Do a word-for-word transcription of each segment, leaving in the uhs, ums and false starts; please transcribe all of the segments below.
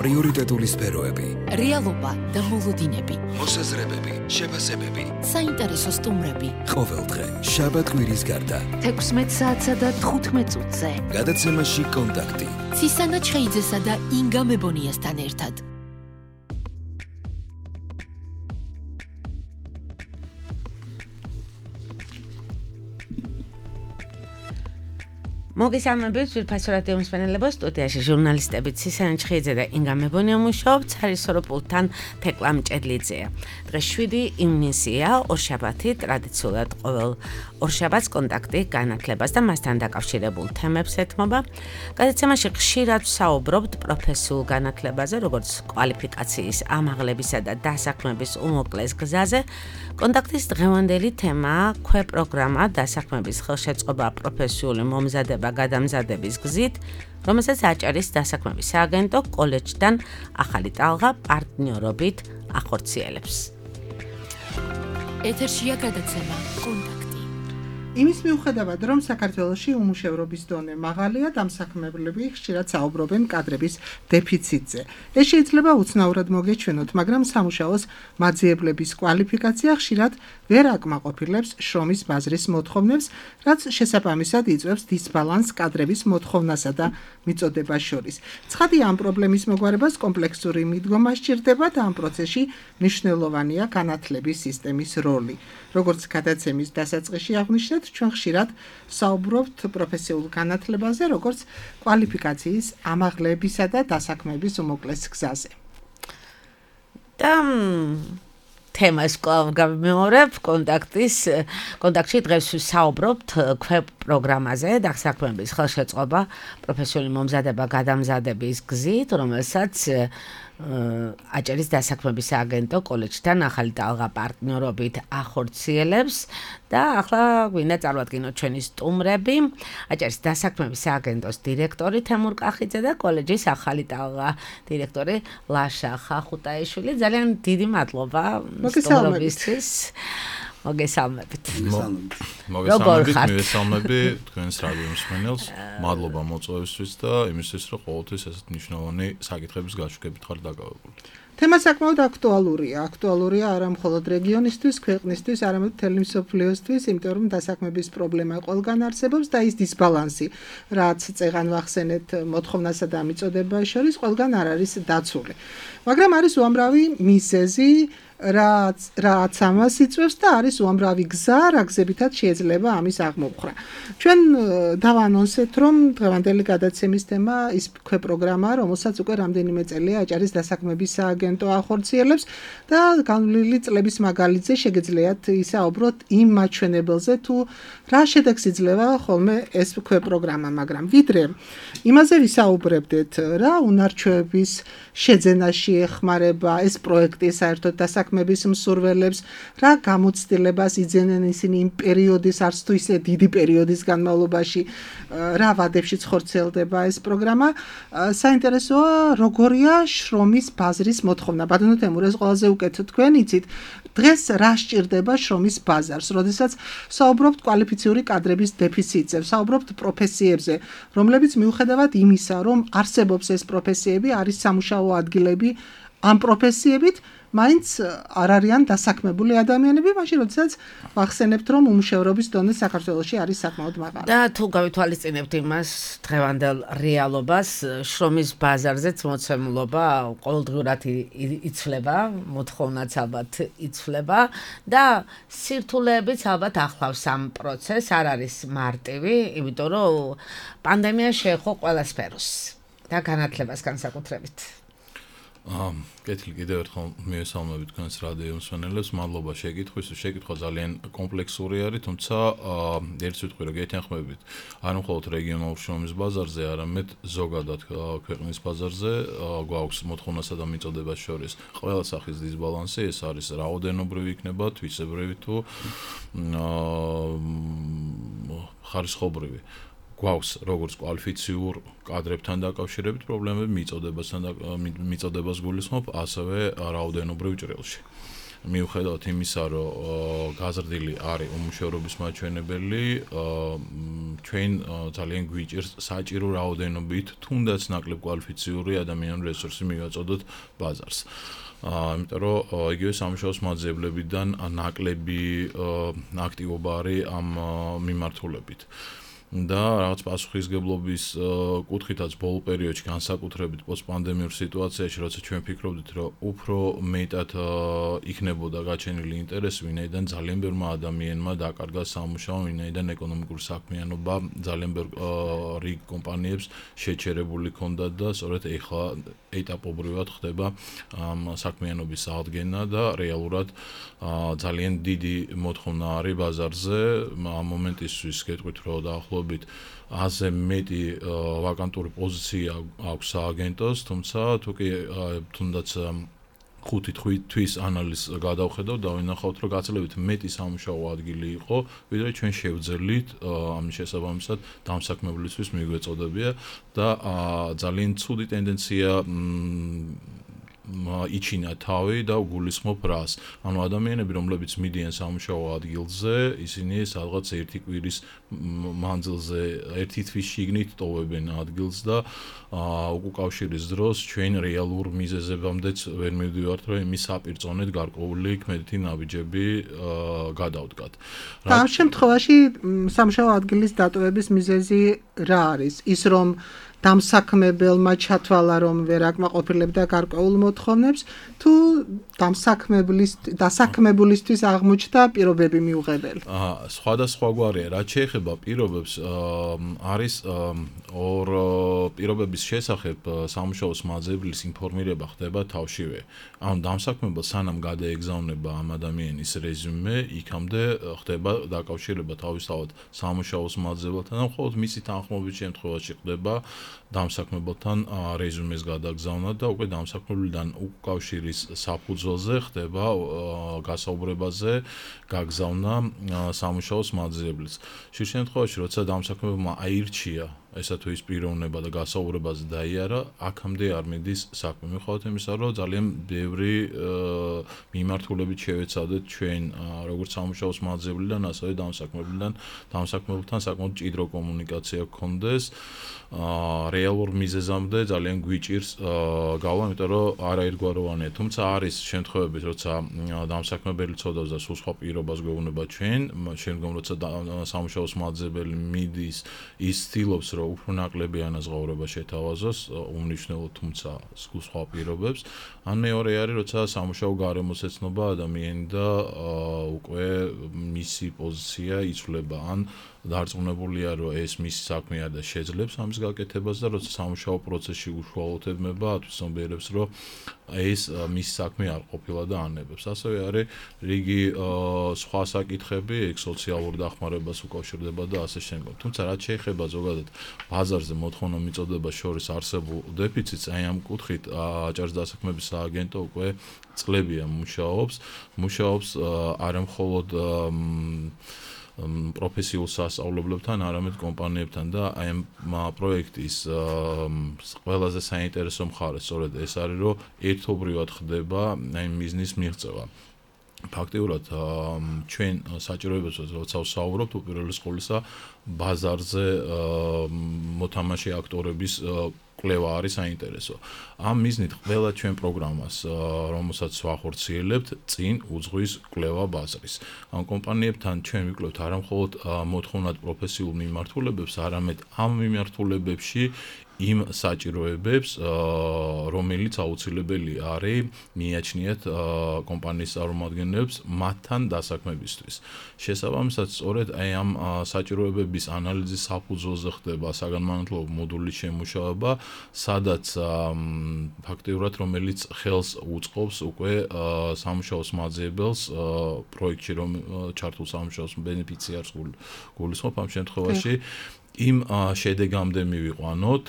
პრიორიტეტული სფეროები, რეალობა და მოლოდინები, მოსაზრებები, შეფასებები, საინტერესო სტუმრები. ყოველდღე შაბათ-კვირის გარდა თექვსმეტ საათსა და თხუთმეტ წუთზე. გადაცემაში კონტაქტი. ცისანა ჩხეიძესა და ინგა მებონიასთან ერთად. მოგესალმებით, ვირფასო რადიო მსმენელებო, სტუდიაში ჟურნალისტები ცისანა ჩხეიძე და ინგა მებონია მუშაობთ, სარისორო პულტთან თეკლა მჭედლიძეა. დღეს შვიდი ივნისია, ორშაბათი, ტრადიციულად ყოველ ორშაბათს კონტაქტი განათლებას და მასთან დაკავშირებულ თემებს ეთმობა. გადაცემაში ხშირად ვსაუბრობთ პროფესიულ განათლებაზე, როგორც კვალიფიკაციის ამაღლებისა და დასაქმების უმოკლეს გზაზე. კონტაქტის დღევანდელი თემაა ქვეპროგრამა დასაქმების ხელშეწყობა პროფესიული მომზადება გადამზადების გზით, რომელსაც აჭარის დასაქმების სააგენტო კოლეჯთან ახალი ტალღა პარტნიორობით ახორციელებს. ეთერშია გადაცემა კონტაქტი. იმის მიუხედავად, რომ საქართველოში უმუშევრობის დონე მაღალია, დამსაქმებლები ხშირად საუბრობენ კადრების დეფიციტზე. ეს შეიძლება უცნაურად მოგეჩვენოთ, მაგრამ სამუშაოს მაძიებლების კვალიფიკაცია ხშირად ვერ აკმაყოფილებს შრომის ბაზრის მოთხოვნებს, რაც შესაბამისად იწვევს დისბალანსს კადრების მოთხოვნასა და მიწოდებას შორის. ცხადია, ამ პრობლემის მოგვარებას კომპლექსური მიდგომა სჭირდება და ამ პროცესში მნიშვნელოვანია განათლების სისტემის როლი. როგორც გადაცემის დასაწყისში აღვნიშნეთ, ჩვენ ხშირად საუბრობთ პროფესიულ განათლებაზე, როგორც კვალიფიკაციის ამაღლებისა და დასაქმების უმოკლეს გზაზე. და თემას კვლავ გავიმეორებ, კონტაქტის კონტაქტში დღეს ვსაუბრობთ ქვეპროგრამაზე, დასაქმების ხელშეწყობა პროფესიული მომზადება გადამზადების გზით, რომელსაც აჭარის დასაქმების სააგენტო კოლეჯთან ახალი ტალღა პარტნიორობით ახორციელებს და ახლა გვინდა წარვადგინოთ ჩვენი სტუმრები, აჭარის დასაქმების სააგენტოს დირექტორი თემურ კახიძე და კოლეჯის ახალი ტალღა დირექტორი ლაშა ხახუტაიშვილი. ძალიან დიდი მადლობა სტუმრობისთვის. მოგესალმებით. მოგესალმებით, მივესალმები თქვენს რადიო მსმენელს. მადლობა მოწვევისთვის და იმისთვის, რომ ყოველთვის ესეთ მნიშვნელოვანი საკითხების გაშუქებით ხარ დაკავებული. თემა საკმაოდ აქტუალურია. აქტუალურია არა მხოლოდ რეგიონისთვის, ქვეყნისთვის, არამედ მთელი მსოფლიოსთვის, იმიტომ რომ დასაქმების პრობლემა ყველგან არსებობს და ის დისბალანსი, რაც წეღან ვახსენეთ მოთხოვნასა და მიწოდებას შორის, ყველგან არ არის დაცული. მაგრამ არის უამრავი მიზეზი, რაც რაც ამას იწვევს და არის უამრავი გზა, რა გზებითაც შეიძლება ამის აღმოფხვრა. ჩვენ დავანონსეთ, რომ დღევანდელი გადაცემის თემა ის ქვეპროგრამა, რომელსაც უკვე რამდენიმე წელია აჭარის დასაქმების სააგენტო ახორციელებს და განვლილი წლების მაგალითზე შეგიძლიათ ისაუბროთ იმ მაჩვენებელზე, თუ რა შედეგს იძლევა ხოლმე ეს ქვეპროგრამა, მაგრამ ვიდრე იმაზე ვისაუბრებდეთ, რა უნარჩვევების შეძენაში ეხმარება ეს პროექტი საერთოდ დასაქმების მსურველებს, რა გამოცდილებას იძენენ ისინი იმ პერიოდის, არც თუ ისე დიდი პერიოდის განმავლობაში, რა ვადებში ხორციელდება ეს პროგრამა. საინტერესოა, როგორია შრომის ბაზრის მოთხოვნა. ბატონო თემურ, ეს ყველაზე უკეთ თქვენ იცით, დღეს რა სჭირდება შრომის ბაზარს, როდესაც საუბრობთ კვალიფიციური კადრების დეფიციტზე, საუბრობთ პროფესიებზე, რომლებიც მიუხედავად იმისა, რომ არსებობს ეს პროფესიები, არის სამუშაო ადგილები ამ პროფესიებით, მაინც არ არიან დასაქმებული ადამიანები, მაშინ როდესაც ვახსენებთ, რომ უმუშევრობის დონე საქართველოში არის საკმაოდ მაღალი. და თუ გავითვალისწინებთ იმას დღევანდელ რეალობას, შრომის ბაზარზეც მოცემულობა ყოველდღურად იცვლება, მოთხოვნაც ალბათ იცვლება და სირთულეებიც ალბათ ახლავს ამ პროცესს, არ არის მარტივი, იმიტომ რომ პანდემია შეეხო ყველა სფეროს და განათლებას განსაკუთრებით. კეთილი კიდევ ერთხელ მივესალმები თქვენს რადიო მსმენელებს. მადლობა შეკითხვის. შეკითხვა ძალიან კომპლექსური არის, თუმცა ერთ სიტყვით რომ გეთანხმებით, არ მხოლოდ რეგიონალურ შრომის ბაზარზე, არამედ ზოგადად ქვეყნის ბაზარზე გვაქვს მოთხოვნასა და მიწოდებას შორის ყველა სახის დისბალანსი, ეს არის რაოდენობრივი იქნება, თვისებრივი თუ ხარისხობრივი. გვაქვს როგორც კვალიფიციურ კადრებთან დაკავშირებით პრობლემები, მიწოდებასთან და მიწოდებას გულისხმობ, ასევე რაოდენობრივ ჭრილში. მიუხედავად იმისა, რომ გაზრდილი არის უმუშევრობის მაჩვენებელი, ჩვენ ძალიან გვიჭირს საჭირო რაოდენობით, თუნდაც ნაკლებ კვალიფიციური ადამიანური რესურსი მივაწოდოთ ბაზარს. იმიტომ რომ იგივე სამუშაოს მაძიებლებიდან ნაკლები აქტივობა არის ამ მიმართულებით. და რაღაც პასუხისგებლობის კუთხითაც ბოლო პერიოდში განსაკუთრებით პოსტპანდემიურ სიტუაციაში, როცა ჩვენ ფიქრობდით, რომ უფრო მეტად იქნებოდა გაჩენილი ინტერესი, ვინაიდან ძალიან ბევრმა ადამიანმა დაკარგა სამუშაო, ვინაიდან ეკონომიკური საქმიანობა ძალიან ბევრ რიგ კომპანიებს შეჩერებული ჰქონდათ და სწორედ ეხლა ეტაპობრივად ხდება ამ საქმიანობის აღდგენა და რეალურად ძალიან დიდი მოთხოვნა არის ბაზარზე. ამ მომენტისთვის გეტყვით, რომ დაახლოებით აზე მეტი ვაკანტური პოზიცია აქვს სააგენტოს, თუმცა თუ კი თუნდაც ხუთი თვის ანალიზს გადავხედავ და ვინახავთ, რომ გაცილებით მეტი სამუშაო ადგილი იყო, ვიდრე ჩვენ შევძელით ამის შესაბამისად დამსაქმებლისთვის მიგვეწოდებია და ძალიან ცუდი ტენდენცია იჩინა თავი და უგულისხმობ რას. ანუ ადამიანები, რომლებიც მიდიან სამუშაო ადგილზე, ისინი სადღაც ერთი კვირის მანძილზე ერთი თვის შიგნით ტოვებენ ადგილს და უკავშირის დროს ჩვენ რეალურ მიზეზებამდეც ვერ მივდივართ, რომ იმის საპირწონედ გარკვეული ქმედითი ნაბიჯები გადავდგათ. ამ შემთხვევაში სამუშაო ადგილის დატოვების მიზეზი რა არის? ის რომ დამსაქმებელმა ჩათვალა, რომ ვერ აკმაყოფილებდა გარკვეულ მოთხოვნებს, თუ დასაქმებულისთვის აღმოჩნდა პირობები მიუღებელი? სხვადასხვაგვარია. რაც შეეხება პირობებს, არის ორ პირობების შესახებ სამუშაოს მაძიებლის ინფორმირება ხდება თავშივე. ანუ დამსაქმებელს სანამ გადაეგზავნება ამ ადამიანის რეზიუმე, იქამდე ხდება დაკავშირება თავისთავად სამუშაოს მაძიებელთან და მხოლოდ მისი თანხმობის შემთხვევაში ხდება დამსაქმებელთან რეზიუმეს გადაგზავნა და უკვე დამსაქმებელთან უკავშირის საფუძველზე ხდება გასაუბრებაზე გაგზავნა სამუშაოს მაძიებლის. შიგ შემთხვევაში, როცა დამსაქმებელმა აირჩია ესა თუ ის პიროვნება და გასაუბრებაზე დაიარა, აქამდე არ მიდის საქმე. მიუხედავად იმისა, რომ ძალიან ბევრი მიმართულებით შევეცადეთ ჩვენ როგორც სამუშაოს მაძიებლიდან, ასევე დამსაქმებელთან, დამსაქმებელთან საკმაოდ მჭიდრო კომუნიკაცია გქონდეს. რეალურ მიზეზამდე ძალიან გვიჭირს გავლა, იმიტომ რომ არაერთგვაროვანია. თუმცა არის შემთხვევები, როცა დამსაქმებელი ცოდავს და სულ სხვა პირობას გვეუბნება ჩვენ, შემდგომ როცა სამუშაოს მაძიებელი მიდის, ის ცდილობს, რომ უფრო ნაკლები ანაზღაურება შეთავაზოს, უმნიშვნელოდ თუმცა სულ სხვა პირობებს. ან მეორე არის, როცა სამუშაო გარემოს ეცნობა ადამიანი და უკვე მისი პოზიცია იცვლება, ან დარწმუნებულია, რომ ეს მისი საქმე არ და შეძლებს ამის გაკეთებას და როცა სამუშაო პროცესში უშუალოთებება, ათვისნობიერებს, რომ ეს მისი საქმე არ ყოფილა და ანებებს. ასევე არის რიგი სხვა საკითხები, ეგ სოციალურ დახმარებას უკავშირდება და ასე შემდგომ. თუმცა რაც შეეხება ზოგადად ბაზარზე მოთხოვნა მიწოდებას შორის არსებულ დეფიციტს, აი ამ კუთხით აჭარის დასაქმების სააგენტო უკვე წლებია მუშაობს, მუშაობს არა მხოლოდ პროფესიულ სასწავლებლებთან, არამედ კომპანიებთან და აი ამ პროექტის ყველაზე საინტერესო მხარე სწორედ ეს არის, რომ ერთობრივად ხდება აი ბიზნეს მიღწევა. ფაქტიურად ჩვენ საჭიროებებს როცა ვსაუბრობთ, უპირველეს ყოვლისა ბაზარზე მოთამაშე აქტორების კვლევა არის საინტერესო. ამ მიზნით ყველა ჩვენ პროგრამას, რომელსაც ვახორციელებთ, წინ უძღვის კვლევა ბაზრის. ამ კომპანიებთან ჩვენ ვიკვლევთ არა მხოლოდ მოთხოვნად პროფესიულ მიმართულებებს, არამედ ამ მიმართულებებში იმ საჭიროებებს, რომელიც აუცილებელი არის მიაჩნიათ კომპანიის წარმომადგენლებს მათთან დასაქმებისთვის. შესაბამისად, სწორედ აი ამ საჭიროებების ანალიზის საფუძველზე ხდება საგანმანათლებლო მოდულის შემუშავება, სადაც ფაქტიურად რომელიც ხელს უწყობს უკვე სამუშაოს მაძიებელს პროექტში რომ ჩართულ სამუშაოს ბენეფიციარს გულისხმობ ამ შემთხვევაში იმ შედეგამდე მივიყვანოთ,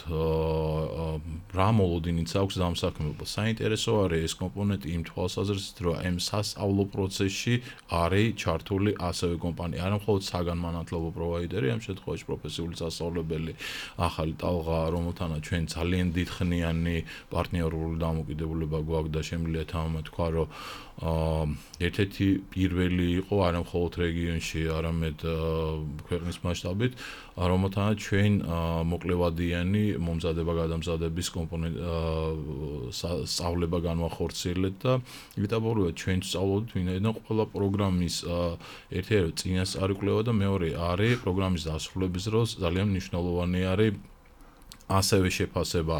რა მოლოდინიც აქვს დამსაქმებელს. საინტერესო არის ეს კომპონენტი იმ თვალსაზრისით, რომ ამ სასწავლო პროცესში არის ჩართული ასევე კომპანია, არა მხოლოდ საგანმანათლებლო პროვაიდერი, ამ შემთხვევაში პროფესიული სასწავლებელი, ახალი ტალღა, რომელთანაც ჩვენ ძალიან დიდხნიანი პარტნიორული დამოკიდებულება გვაქვს და შემიძლია თამამად თქვა, რომ ერთ-ერთი პირველი იყო არა მხოლოდ რეგიონში, არამედ ქვეყნის მასშტაბით, რომელთანაც ჩვენ მოკლევადიანი მომზადება გადამზადების კომპონენტ სწავლება განვახორციელეთ და იტაბორუა ჩვენ სწავლობთ ვინაიდან ყველა პროგრამის ერთ-ერთი წინასწარი კვლევა და მეორე არის პროგრამის დასრულების დროს ძალიან მნიშვნელოვანი არის ასევე შეფასება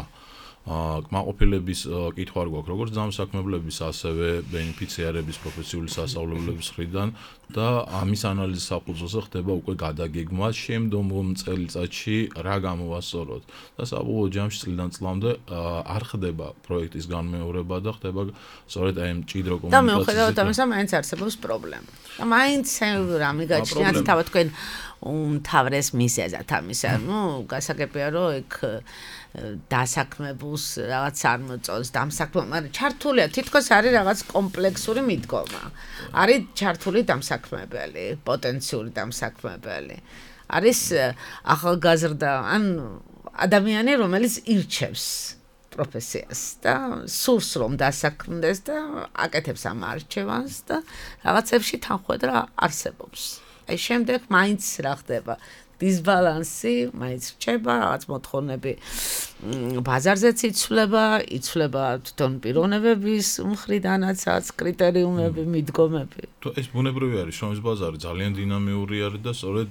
კმაყოფილების კითხვა არ გვაქვს როგორც დამსაქმებლების ასევე ბენეფიციარების პროფესიული სასწავლებლების მხრიდან და ამის ანალიზის საფუძველზე ხდება უკვე გადაგეგმა შემდგომ წელიწადში რა გამოვასწოროთ და საბოლოო ჯამში წლიდან წლამდე არ ხდება პროექტის განმეორება და ხდება სწორედ აი ამ ჭიდრო კომუნიკაციაზე და მიუხედავად ამისა მაინც არსებობს პრობლემა და მაინც რამე გაჩნიათ თავად თქვენ უმთავრეს მიზეზად ამისა ნუ გასაგებია რომ ეგ დასაქმებულს რაღაც არ მოწონს დამსაქმებელს, მაგრამ ჩართულია თითქოს არის რაღაც კომპლექსური მიდგომა. არის ჩართული დამსაქმებელი, პოტენციური დამსაქმებელი. არის ახალგაზრდა ან ადამიანი, რომელიც ირჩევს პროფესიას და სურს რომ დასაქმდეს და აკეთებს ამ არჩევანს და რაღაცებში თანხმედრა არსებობს. აი შემდეგ მაინც რა ხდება? დისბალანსი მაინც რჩება, რაღაც მოთხოვნები ბაზარზეც იცვლება, იცვლება თვითონ პიროვნებების მხრიდანაც, რაც კრიტერიუმები, მიდგომები. ეს ბუნებრივი არის, შრომის ბაზარი ძალიან დინამიური არის და სწორედ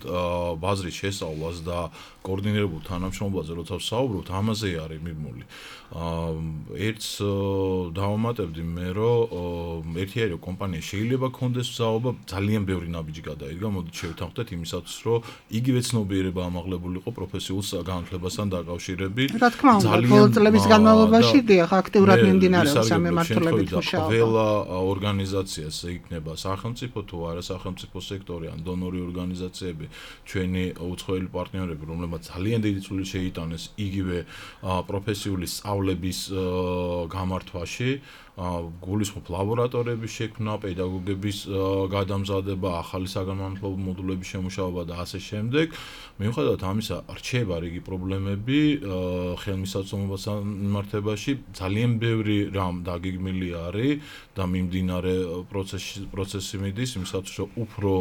ბაზრის შესწავლას და კოორდინირებულ თანამშრომლობაზე როცა ვსაუბრობთ, ამაზე არის მიმული. ერთს დავამატებდი მე, რომ ერთი არის რომ კომპანია შეიძლება კონდეს ვსაუბრობა, ძალიან ბევრი ნაბიჯი გადაიდგა, მოდით შევთანხმდეთ იმისათვის, რომ იგივე ცნობიერება ამაღლებული იყო პროფესიულ განათლებასთან დაკავშირებით. რა თქმა უნდა, ბოლო წლების განმავლობაში დიახ, აქტიურად მიმდინარეობს ამ მმართველობით მუშაობა. ყველა ორგანიზაციას იქნება სახელმწიფო თუ არა სახელმწიფო სექტორი ან დონორი ორგანიზაციები, ჩვენი უცხოელი პარტნიორები, რომლებმაც ძალიან დიდი წვლილი შეიტანეს იგივე პროფესიული სწავლების გამართვაში, გულისხმობ ლაბორატორიების შექმნა, პედაგოგების გადამზადება, ახალი საგანმანათლებლო მოდულების შემუშავება და ასე შემდეგ. მიუხედავად ამისა, რჩება რიგი პრობლემები ხელმისაწვდომობასთან მიმართებაში, ძალიან ბევრი რამ დაგეგმილი არის და მიმდინარე პროცესი პროცესი მიდის იმისათვის, რომ უფრო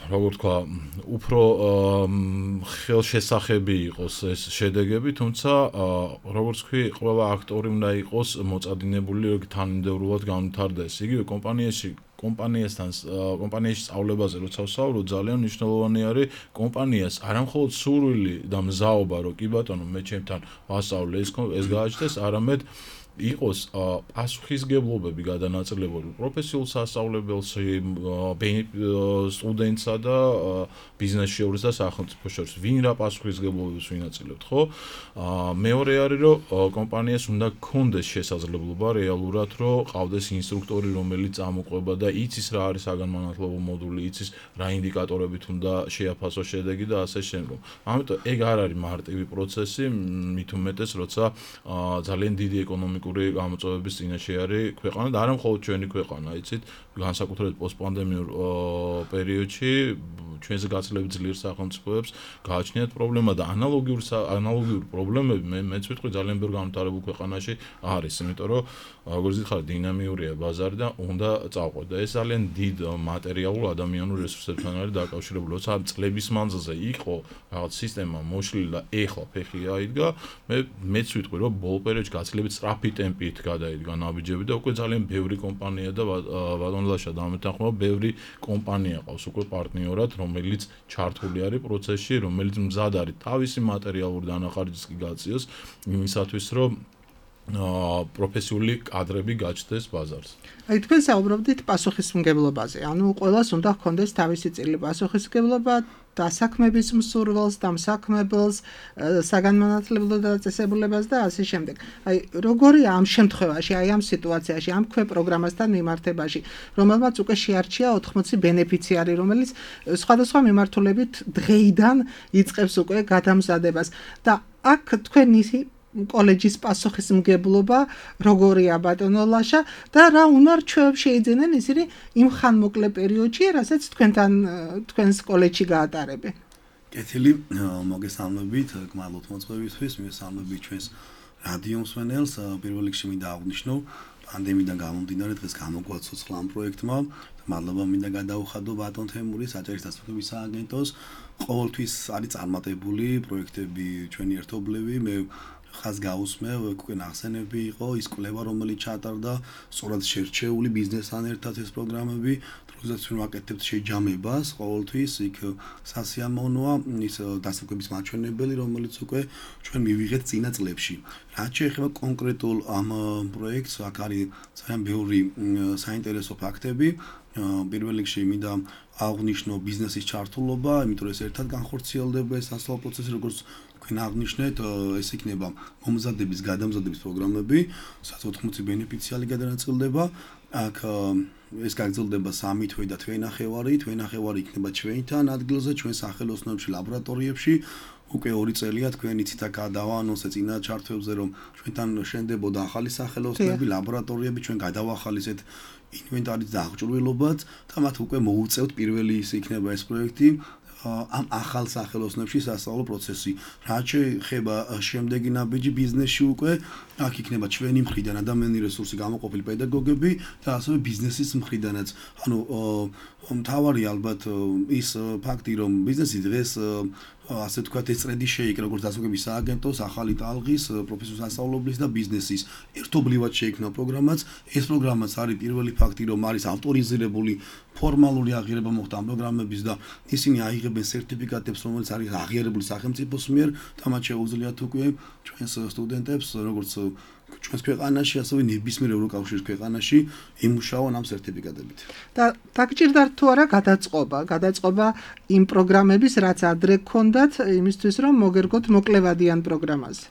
როგორ თქვა, უფრო ხელშესახები იყოს ეს შედეგები, თუმცა როგორც ვთქვი, ყველა აქტორი უნდა იყოს მოწადინებული, რომ თანმიმდევრულად განვითარდეს. იგივე კომპანიაში კომპანიასთან კომპანიაში სწავლებაზე როცა ვსაუბრობ, ძალიან მნიშვნელოვანი არის კომპანიას არამხოლოდ სურვილი და მზაობა, რომ კი ბატონო, მე ჩემთან ვასწავლე ეს ეს გააჩნდეს, არამედ იყოს პასუხისგებლობები გადანაწილებული პროფესიულ სასწავლებელში, სტუდენტსა და ბიზნეს შორის და სახელმწიფო შორის. ვინ რა პასუხისგებლობებს ვინაწილებთ, ხო? მეორე არის, რომ კომპანიას უნდა გქონდეს შესაძლებლობა რეალურად, რომ ყავდეს ინსტრუქტორი, რომელიც წამოყვება და იცის რა არის საგანმანათლებლო მოდული, იცის რა ინდიკატორებით უნდა შეაფასოს შედეგი და ასე შემდგომ. ამიტომ ეგ არ არის მარტივი პროცესი, მით უმეტეს, როცა ძალიან დიდი ეკონომიკური გამოწვევების წინაშე არის ქვეყანა და არა მხოლოდ ჩვენი ქვეყანა, იცით, განსაკუთრებით პოსტპანდემიურ პერიოდში ჩვენზე გაცილებით ძლიერ სახელმწიფოებს გააჩნიათ პრობლემა და ანალოგიური ანალოგიური პრობლემები მე მეც ვიტყვი ძალიან ბევრ განვითარებულ ქვეყანაში არის, იმიტომ რომ როგორც იხარ დინამიურია ბაზარი და უნდა წავყვეთ და ეს ძალიან დიდ მატერიალურ ადამიანურ რესურსებთან არის დაკავშირებული. როცა წლების მანძილზე იყო რაღაც სისტემა მოშლილი და ეხლა ფეხი აიდგა, მე მეც ვიტყვი რომ ბოლო პერიოდში გაცილებით სწრაფი ტემპით გადაიდგა ნაბიჯები და უკვე ძალიან ბევრი კომპანია და ბატონლაშა დამეთანხმება, ბევრი კომპანია ყავს უკვე პარტნიორად, რომელიც ჩართული არის პროცესში, რომელიც მზად არის თავისი მატერიალური დანახარჯის კი გაწიოს იმისათვის, რომ პროფესიული კადრები გაჩნდეს ბაზარს. აი თქვენ საუბრობდით პასუხისმგებლობაზე. ანუ ყველას უნდა ჰქონდეს თავისი წილი პასუხისმგებლობა დასაქმების მსურველს, დამსაქმებელს, საგანმანათლებლო დაწესებულებას და ასე შემდეგ. აი როგორია ამ შემთხვევაში, აი ამ სიტუაციაში, ამ ქვე პროგრამასთან მიმართებაში, რომელმაც უკვე შეარჩია ოთხმოცი ბენეფიციარი, რომელიც სხვადასხვა მიმართულებით დღეიდან იწყებს უკვე გადამზადებას და აქ თქვენი კოლეჯის პასუხისმგებლობა როგორია ბატონო ლაშა და რა უნარჩვევებს შეიძენენ ისინი იმ ხანმოკლე პერიოდში, რასაც თქვენთან თქვენს კოლეჯში გაატარებენ. კეთილი, მოგესალმებით, გმადლობთ მოწვევისთვის, მოგესალმებით ჩვენს რადიო მსმენელს. პირველ რიგში მინდა აღვნიშნო, პანდემიიდან გამომდინარე დღეს გამოგვაქვს ცოცხლა ამ პროექტმა. მადლობა მინდა გადაუხადო ბატონ თემურის აჭარის დასახლების სააგენტოს. ყოველთვის არის წარმატებული პროექტები ჩვენი ერთობლივი. მე ხას გაუსმევ, უკვე ნახსენები იყო ის კვლევა, რომელიც ჩატარდა, სწორად შერჩეული ბიზნესთან ერთად ეს პროგრამები, დროსაც ჩვენ ვაკეთებთ შეჯამებას, ყოველთვის იქ სასიამოვნოა ის დასაქმების მაჩვენებელი, რომელიც უკვე ჩვენ მივიღეთ წინა წლებში. რაც შეეხება კონკრეტულ ამ პროექტს, აქ არის ძალიან ბევრი საინტერესო ფაქტები. პირველ რიგში მინდა აღვნიშნო ბიზნესის ჩართულობა, იმიტომ რომ ეს ერთად განხორციელდება ეს სასწავლო პროცესი, როგორც თქვენ აღნიშნეთ, ეს იქნება მომზადების, გადამზადების პროგრამები, სადაც ოთხმოცი ბენეფიციარი გადანაწილდება. აქ ეს გაგრძელდება სამი თვე და თვე ნახევარი, თვე ნახევარი იქნება ჩვენთან ადგილზე, ჩვენ სახელოსნოებში, ლაბორატორიებში. უკვე ორი წელია თქვენ იცით აქ დავაანონსეთ წინა ჩართვებზე, რომ ჩვენთან შენდებოდა ახალი სახელოსნოები, ლაბორატორიები, ჩვენ გადავახალისეთ ინვენტარის დააღჭურვილობაც და მათ უკვე მოუწევთ პირველი ის იქნება ეს პროექტი ამ ახალ სახელოსნებში სასწავლო პროცესი. რაც შეეხება შემდეგი ნაბიჯი ბიზნესში უკვე აქ იქნება ჩვენი მხრიდან ადამიანური რესურსი გამოყოფილი პედაგოგები და ასევე ბიზნესის მხრიდანაც. ანუ მთავარი ალბათ ის ფაქტი, რომ ბიზნესი დღეს ასე თქვათ ეწრედი შეიკრა როგორც დასაქმების სააგენტოს, ახალი ტალღის, პროფესიული სასწავლებლის და ბიზნესის ერთობლივად შეიქმნა პროგრამაც. ეს პროგრამაც არის პირველი ფაქტი, რომ არის ავტორიზირებული ფორმალური აღიარება მოხდა ამ პროგრამების და ისინი აიღებენ სერტიფიკატებს, რომელიც არის აღიარებული სახელმწიფოს მიერ და მათ შეუძლიათ უკვე ჩვენს სტუდენტებს, როგორც ჩვენს ქვეყანაში, ასევე ნებისმიერ ევროკავშირის ქვეყანაში იმუშაონ ამ სერტიფიკატებით. და დაგჭირდათ თუ არა გადაწყობა, გადაწყობა იმ პროგრამების, რაც ადრე გქონდათ, იმისთვის რომ მოგერგოთ მოკლევადიან პროგრამაზე.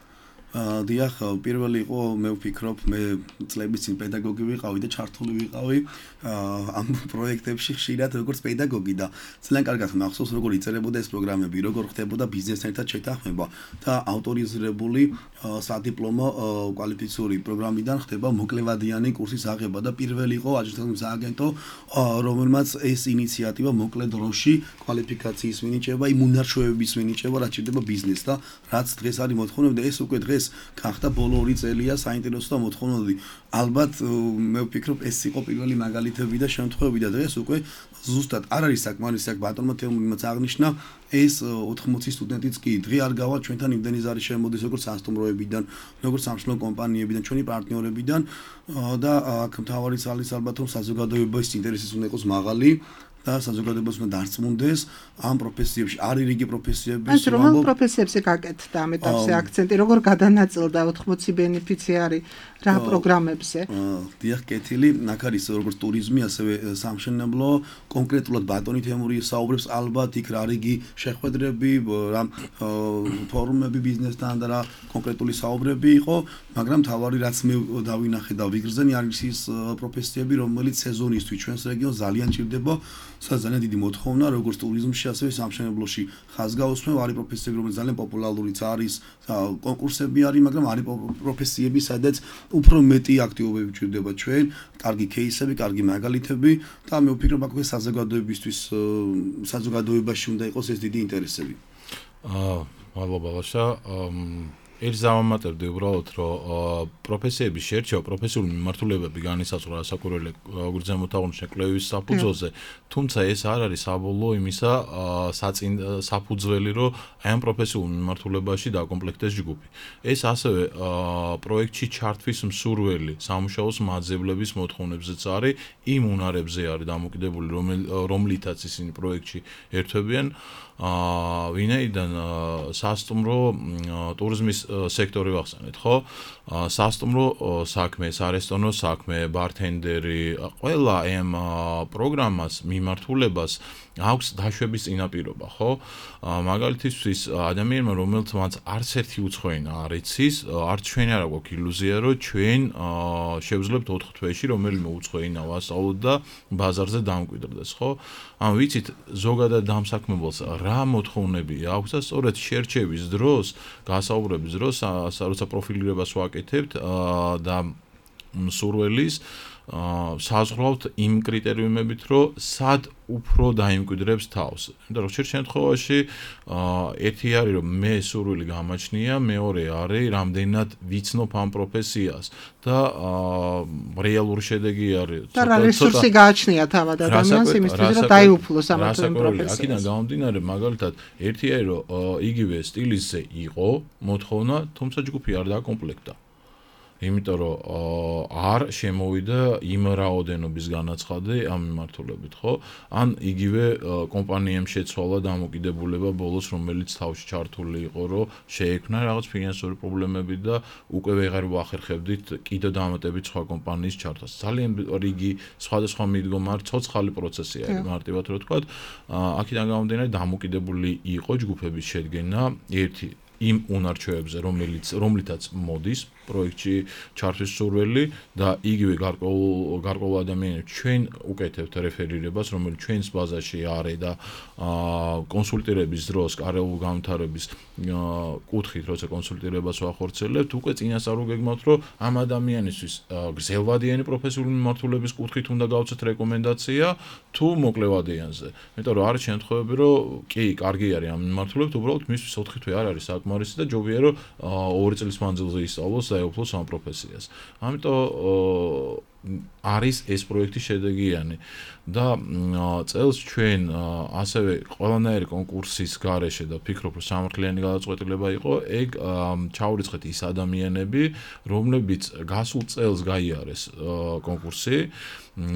დიახ, პირველი იყო, მე ვფიქრობ, მე წლების წინ პედაგოგი ვიყავი და ჩართული ვიყავი ამ პროექტებში ხშირად როგორც პედაგოგი და ძალიან კარგად მახსოვს, როგორ იწერებოდა ეს პროგრამები, როგორ ხდებოდა ბიზნესთან ერთად შეთანხმება და ავტორიზირებული სადიპლომო კვალიფიციური პროგრამიდან ხდება მოკლევადიანი კურსის აღება და პირველი იყო აჯანყების სააგენტო, რომელმაც ეს ინიციატივა მოკლე დროში კვალიფიკაციის მინიჭება, იმ უნარჩვევების მინიჭება, რაც შედება ბიზნეს და რაც დღეს არის მოთხოვნები და ეს უკვე დღეს გახდა ბოლო ორი წელია საინტერესო და მოთხოვნადი. ალბათ მე ვფიქრობ ეს იყო პირველი მაგალითები და შემთხვევები და დღეს უკვე ზუსტად არ არის საკმარისი აქ ბატონმა თემურიმაც აღნიშნა ეს ოთხმოცი სტუდენტიც კი დღე არ გავა ჩვენთან იმდენი ზარი შემოდის როგორც სასტუმროებიდან, როგორც სამშობლო კომპანიებიდან, ჩვენი პარტნიორებიდან და აქ მთავარი ძალის ალბათ რომ საზოგადოების ინტერესიც უნდა იყოს მაღალი და საზოგადოებას უნდა დარწმუნდეს ამ პროფესიებში, არის რიგი პროფესიები. ეს რომელ პროფესიებზე გაკეთდა ამ ეტაპზე აქცენტი, როგორ გადანაწილდა ოთხმოცი ბენეფიციარი რა პროგრამებზე? დიახ, კეთილი, აქ არის როგორც ტურიზმი, ასევე სამშენებლო, კონკრეტულად ბატონი თემური საუბრებს ალბათ იქ რა რიგი შეხვედრები, რა ფორუმები ბიზნესთან და რა კონკრეტული საუბრები იყო, მაგრამ თავარი რაც მე დავინახე და ვიგრძენი არის ის პროფესიები, რომელიც სეზონისთვის ჩვენს რეგიონს ძალიან ჭირდება. ძალიან დიდი მოთხოვნა როგორც ტურიზმში, ასევე სამშენებლოში ხაზგაუსმევ არის პროფესიები, რომელიც ძალიან პოპულარულია არის, კონკურსები არის, მაგრამ არის პროფესიები, სადაც უფრო მეტი აქტივობები ჭირდება ჩვენ, კარგი кейსები, კარგი მაგალითები და მე ვფიქრობ, აქ საზოგადოებისთვის, საზოგადოებაში უნდა იყოს ეს დიდი ინტერესები. აა, მადლობა ლაშა. ერთ ზამამატებდი უბრალოდ, რომ პროფესიების შერჩევა, პროფესიული მიმართულებები განისაზღვრა საკურველი გრძემოთ აღნიშნე კვლევის საფუძველზე, თუმცა ეს არ არის საბოლოო იმისა საფუძველი, რომ აი ამ პროფესიულ მიმართულებაში დაკომპლექტდეს ჯგუფი. ეს ასევე პროექტში ჩართვის მსურველი სამუშაოს მაძებლების მოთხოვნებზეც არის, იმ უნარებზე არის დამოკიდებული, რომლითაც ისინი პროექტში ერთვებიან. აა ვინაიდან სასტუმრო ტურიზმის სექტორი ვახსენეთ, ხო? სასტუმრო საქმე, სარესტორნო საქმე, ბართენდერი, ყველა ამ პროგრამას მიმართულებას აქვს დაშვების წინაპირობა, ხო? მაგალითისთვის ადამიანმა, რომელიც მაც არც ერთი უცხოენა არ იცის, არც ჩვენ არ აქვს ილუზია, რომ ჩვენ შევძლებთ ოთხ თვეში რომელიმე უცხოენა ვასწავლოთ და ბაზარზე დამკვიდრდეს, ხო? ან ვიცით ზოგადად დამსაქმებელს რა მოთხოვნები აქვს და სწორედ შერჩევის დროს, გასაუბრების დროს, როცა პროფილირებას ვაკეთებთ და სურველის საზღვრავთ იმ კრიტერიუმებით, რომ სად უფრო დაიმკვიდრებს თავს. იმიტომ რომ ხშირ შემთხვევაში ერთი არის რომ მე სურვილი გამაჩნია, მეორე არის რამდენად ვიცნობ ამ პროფესიას და რეალური შედეგი არის და რა რესურსი გააჩნია თავად ადამიანს იმისთვის რომ დაიუფლოს ამ პროფესიას. აქედან გამომდინარე მაგალითად ერთი არის რომ იგივე სტილისზე იყო მოთხოვნა, თუმცა ჯგუფი არ დაკომპლექტდა. იმიტომ რომ არ შემოვიდა იმ რაოდენობის განაცხადი ამ მიმართულებით, ხო? ან იგივე კომპანიამ შეცვალა დამოკიდებულება ბოლოს, რომელიც თავში ჩართული იყო, რომ შეექმნა რაღაც ფინანსური პრობლემები და უკვე ვეღარ ვახერხებდით კიდევ დამატებით სხვა კომპანიის ჩართვას. ძალიან რიგი სხვადასხვა მიდგომა, ცოცხალი პროცესი არის, მარტივად რო ვთქვათ. აქედან გამომდინარე დამოკიდებული იყო ჯგუფების შედგენა ერთი იმ უნარჩვევებზე, რომელიც რომლითაც მოდის პროექტში ჩართვის სურველი და იგივე გარკვეულ გარკვეულ ადამიანებს ჩვენ უკეთებთ რეფერირებას, რომელიც ჩვენს ბაზაში არის და კონსულტირების დროს, კარეული განვითარების კუთხით, როცა კონსულტირებას ვახორციელებთ, უკვე წინასწარ უგეგმავთ, რომ ამ ადამიანისთვის გრძელვადიანი პროფესიული მიმართულების კუთხით უნდა გავცეთ რეკომენდაცია თუ მოკლევადიანზე. იმიტომ რომ არის შემთხვევები, რომ კი, კარგი არის ამ მიმართულებით, უბრალოდ მისთვის ოთხი თვე არ არის საკმარისი და ჯობია რომ ორი წლის მანძილზე ისწავლოს დაეუფლოს ამ პროფესიას. ამიტომ არის ეს პროექტი შედეგიანი და წელს ჩვენ ასევე ყველანაირი კონკურსის გარეშე და ფიქრობ რომ სამართლიანი გადაწყვეტილება იყო ეგ ჩაურიცხეთ ის ადამიანები რომლებიც გასულ წელს გაიარეს კონკურსი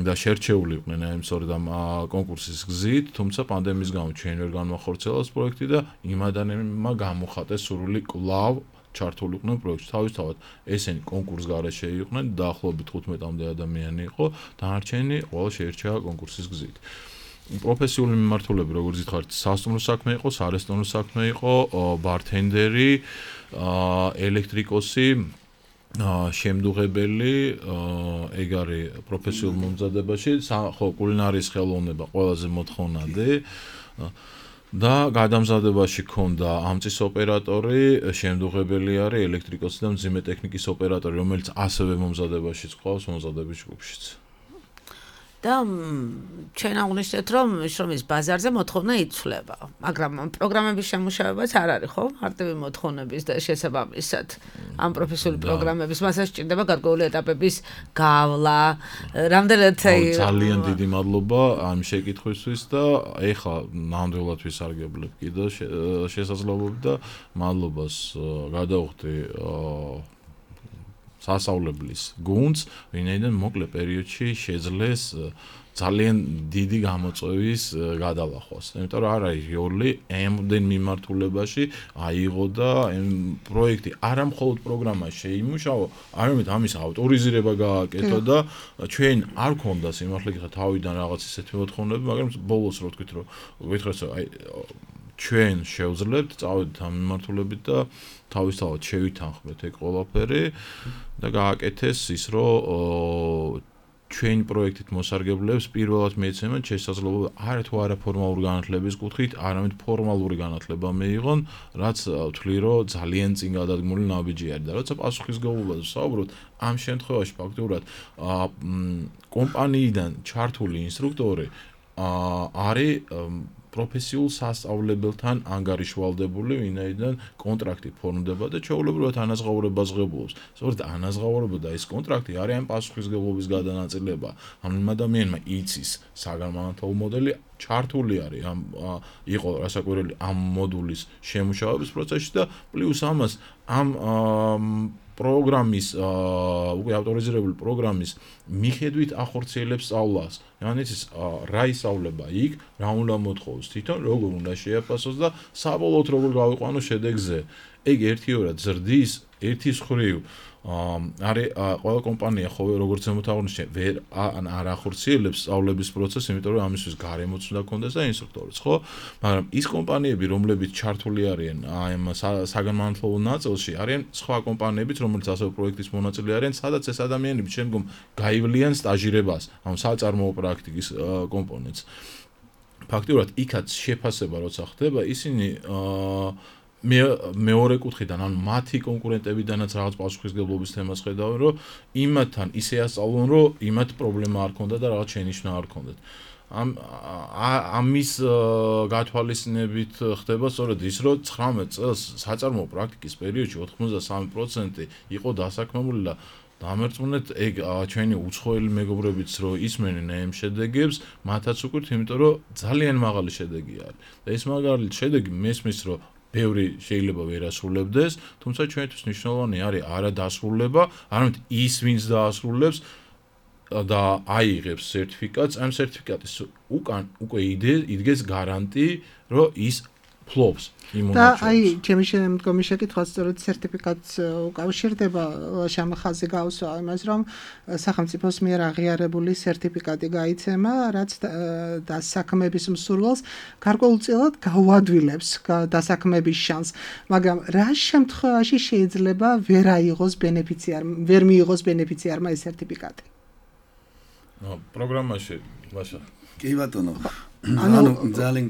და შერჩეული იყვნენ ამ სწორედ ამ კონკურსის გზით, თუმცა პანდემიის გამო ჩვენ ვერ განვახორციელეს პროექტი და იმ ადამიანებმა გამოხატეს სურვილი კვლავ ჩართული იყვნენ პროექტში. თავისთავად ესენი კონკურს გარეშე იყვნენ, დაახლოებით თხუთმეტამდე ადამიანი იყო, დანარჩენი ყველა შეირჩა კონკურსის გზით. პროფესიული მიმართულები, როგორც ითხოვთ, სასტუმრო საქმე იყო, სარესტორნო საქმე იყო, ბართენდერი, ელექტრიკოსი, შემდუღებელი, ეგ არის პროფესიულ მომზადებაში, ხო, კულინარიის ხელოვნება ყველაზე მოთხოვნადი. და გადამზადებაში ქონდა ამწის ოპერატორი, შემდუღებელი არის ელექტრიკოსი და მძიმე ტექნიკის ოპერატორი, რომელიც ასევე მომზადებაშიც ყავს, მომზადების ჯგუფშიც. და ჩვენ აღვნიშნეთ, რომ შრომის ბაზარზე მოთხოვნა იცვლება, მაგრამ პროგრამების შემუშავებაც არ არის, ხო? მარტივი მოთხოვნების და შესაბამისად ამ პროფესიული პროგრამების მასაც სჭირდება გარკვეული ეტაპების გავლა, რამდენად ძალიან დიდი მადლობა ამ შეკითხვისთვის და ეხლა ნამდვილად ვისარგებლებ კიდე შესაძლებლობით და მადლობას გადავხდი სასწავლებლის გუნდს, ვინაიდან მოკლე პერიოდში შეძლეს ძალიან დიდი გამოწვევის გადალახვას. იმიტომ რომ არ არის როლი ამდენ მიმართულებაში აიღო და პროექტი არა მხოლოდ პროგრამა შეიმუშაო, არამედ ამის ავტორიზირება გააკეთო და ჩვენ არ გქონდა სიმართლე გითხრათ თავიდან რაღაც ისეთი მოთხოვნები, მაგრამ ბოლოს რო ვთქვით რომ ვეთქრეს რომ აი ჩვენ შევძლებთ, წავედით ამ მიმართულებით და თავისთავად შევითანხმეთ ეგ ყველაფერი და გააკეთეს ის რომ ჩვენ პროექტით მოსარგებლებს პირველად მეცემენ შესაძლებლობა არა თუ არა ფორმალური განათლების კუთხით, არამედ ფორმალური განათლება მეიღონ, რაც ვთვლი რომ ძალიან წინ გადადგმული ნაბიჯი არის და როცა პასუხისმგებლობაზე ვსაუბრობთ, ამ შემთხვევაში ფაქტურად კომპანიიდან ჩართული ინსტრუქტორი არის პროფესიულ სასწავლებელთან ანგარიშვალდებული, ვინაიდან კონტრაქტი ფორმდება და ჩვეულებრივად ანაზღაურებას ღებულობს. სწორედ ანაზღაურება და ეს კონტრაქტი არის ამ პასუხისმგებლობის გადანაწილება. ამ ადამიანმა იცის საგანმანათლებლო მოდელი ჩართული არის ამ იყო რასაკვირველი ამ მოდულის შემუშავების პროცესში და პლუს ამას ამ პროგრამის უკვე ავტორიზირებული პროგრამის მიხედვით ახორციელებს სწავლას. Yani ის რა ისწავლება იქ, რა უნდა მოთხოვოს თვითონ, როგორ უნდა შეაფასოს და საბოლოოდ როგორ გავიყვანოს შედეგზე. ეგ ერთიორად ზრდის, ერთის ხრივ არის ყველა კომპანია ხო როგორც ზემოთ აღნიშნე, ვერ ან არ ახორციელებს სწავლების პროცესს, იმიტომ რომ ამისთვის გარემოც უნდა კონდეს და ინსტრუქტორიც, ხო? მაგრამ ის კომპანიები, რომლებიც ჩართული არიან ამ საგანმანათლებლო ნაწილში, არიან სხვა კომპანიებიც, რომელიც ასევე პროექტის მონაწილე არიან, სადაც ეს ადამიანები შემდგომ გაივლიან სტაჟირებას, ამ საწარმოო პრაქტიკის კომპონენტს. ფაქტიურად იქაც შეფასება როცა ხდება, ისინი მე მეორე კუთხიდან ან მათი კონკურენტებიდანაც რაღაც პასუხისმგებლობის თემას ხედავენ, რომ იმათთან ისე ასწავლონ, რომ იმათ პრობლემა არ ქონდა და რაღაც შენიშვნა არ ქონდათ. ამ ამის გათვალისწინებით ხდება სწორედ ის, რომ ცხრამეტ წელს საწარმოო პრაქტიკის პერიოდში ოთხმოცდასამი პროცენტი იყო დასაქმებული და დამერწმუნეთ ეგ ჩვენი უცხოელი მეგობრებიც რომ ისმენენ ამ შედეგებს, მათაც უკვე, იმიტომ რომ ძალიან მაღალი შედეგი არის. და ეს მაგარი შედეგი მესმის, რომ ბევრი შეიძლება ვერ ასრულებდეს, თუმცა ჩვენთვის მნიშვნელოვანი არის არა დასრულება, არამედ ის, ვინც დაასრულებს და აიღებს სერტიფიკატს, ამ სერტიფიკატის უკან უკვე იდგეს გარანტი, რომ ის ფლობს იმ და აი, ჩემი შემდგომი შეკითხვა სწორედ სერტიფიკატს უკავშირდება, შემახაზი გავსვა იმას, რომ სახელმწიფოს მიერ აღიარებული სერტიფიკატი გაიცემა, რაც დასაქმების მსურველს გარკვეულწილად გაუადვილებს დასაქმების შანსს, მაგრამ რა შემთხვევაში შეიძლება ვერ აიღოს ბენეფიციარმა, ვერ მიიღოს ბენეფიციარმა ეს სერტიფიკატი? პროგრამაში, ვაშა. კი ბატონო. ანუ ძალიან